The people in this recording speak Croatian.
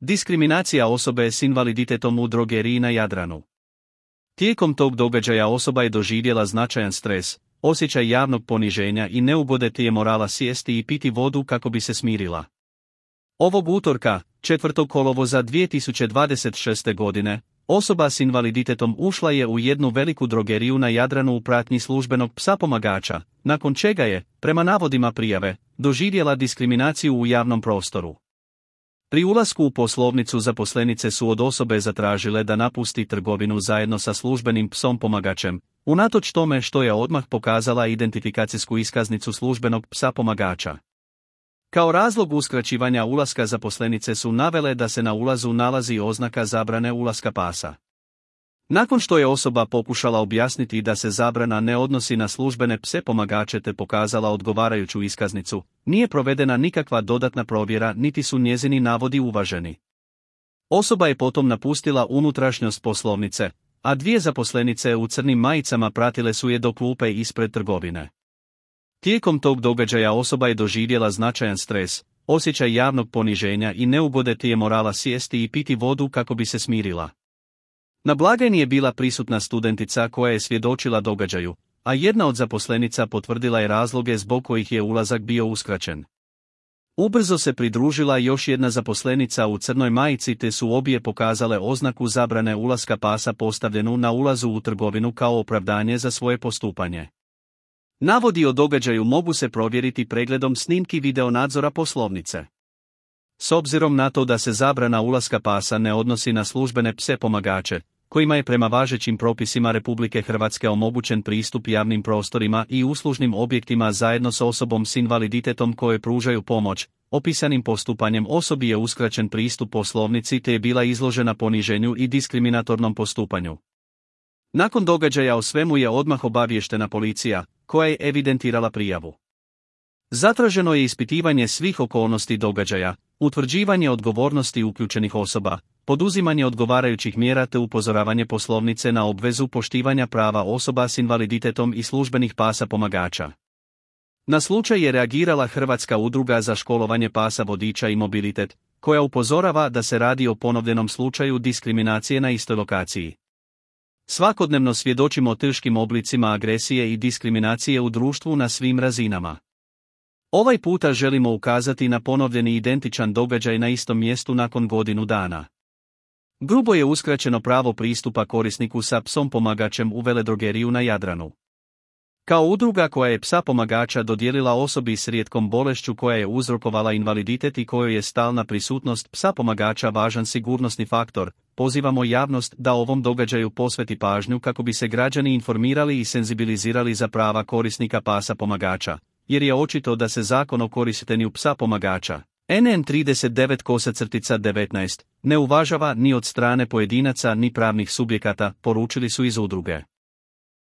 Diskriminacija osobe s invaliditetom u drogeriji na Jadranu. Tijekom tog događaja osoba je doživjela značajan stres, osjećaj javnog poniženja i neugode je morala sjesti i piti vodu kako bi se smirila. Ovog utorka, 4. kolovoza 2026. godine, osoba s invaliditetom ušla je u jednu veliku drogeriju na Jadranu u pratnji službenog psa pomagača, nakon čega je, prema navodima prijave, doživjela diskriminaciju u javnom prostoru. Pri ulasku u poslovnicu zaposlenice su od osobe zatražile da napusti trgovinu zajedno sa službenim psom pomagačem, unatoč tome što je odmah pokazala identifikacijsku iskaznicu službenog psa pomagača. Kao razlog uskraćivanja ulaska zaposlenice su navele da se na ulazu nalazi oznaka zabrane ulaska pasa. Nakon što je osoba pokušala objasniti da se zabrana ne odnosi na službene pse pomagače te pokazala odgovarajuću iskaznicu, nije provedena nikakva dodatna provjera niti su njezini navodi uvaženi. Osoba je potom napustila unutrašnjost poslovnice, a dvije zaposlenice u crnim majicama pratile su je do klupe ispred trgovine. Tijekom tog događaja osoba je doživjela značajan stres, osjećaj javnog poniženja i neugode je morala sjesti i piti vodu kako bi se smirila. Na blagajni je bila prisutna studentica koja je svjedočila događaju, a jedna od zaposlenica potvrdila je razloge zbog kojih je ulazak bio uskraćen. Ubrzo se pridružila još jedna zaposlenica u crnoj majici te su obje pokazale oznaku zabrane ulaska pasa postavljenu na ulazu u trgovinu kao opravdanje za svoje postupanje. Navodi o događaju mogu se provjeriti pregledom snimki videonadzora poslovnice. S obzirom na to da se zabrana ulaska pasa ne odnosi na službene pse pomagače, kojima je prema važećim propisima Republike Hrvatske omogućen pristup javnim prostorima i uslužnim objektima zajedno s osobom s invaliditetom koje pružaju pomoć, opisanim postupanjem osobi je uskraćen pristup poslovnici te je bila izložena poniženju i diskriminatornom postupanju. Nakon događaja o svemu je odmah obaviještena policija, koja je evidentirala prijavu. Zatraženo je ispitivanje svih okolnosti događaja, utvrđivanje odgovornosti uključenih osoba, poduzimanje odgovarajućih mjera te upozoravanje poslovnice na obvezu poštivanja prava osoba s invaliditetom i službenih pasa pomagača. Na slučaj je reagirala Hrvatska udruga za školovanje pasa vodiča i mobilitet, koja upozorava da se radi o ponovljenom slučaju diskriminacije na istoj lokaciji. Svakodnevno svjedočimo teškim oblicima agresije i diskriminacije u društvu na svim razinama. Ovaj puta želimo ukazati na ponovljeni identičan događaj na istom mjestu nakon godinu dana. Grubo je uskraćeno pravo pristupa korisniku sa psom pomagačem u veledrogeriju na Jadranu. Kao udruga koja je psa pomagača dodijelila osobi s rijetkom bolešću koja je uzrokovala invaliditet i kojoj je stalna prisutnost psa pomagača važan sigurnosni faktor, pozivamo javnost da ovom događaju posveti pažnju kako bi se građani informirali i senzibilizirali za prava korisnika pasa pomagača, jer je očito da se Zakon o korištenju psa pomagača, NN 39/19, ne uvažava ni od strane pojedinaca ni pravnih subjekata, poručili su iz udruge.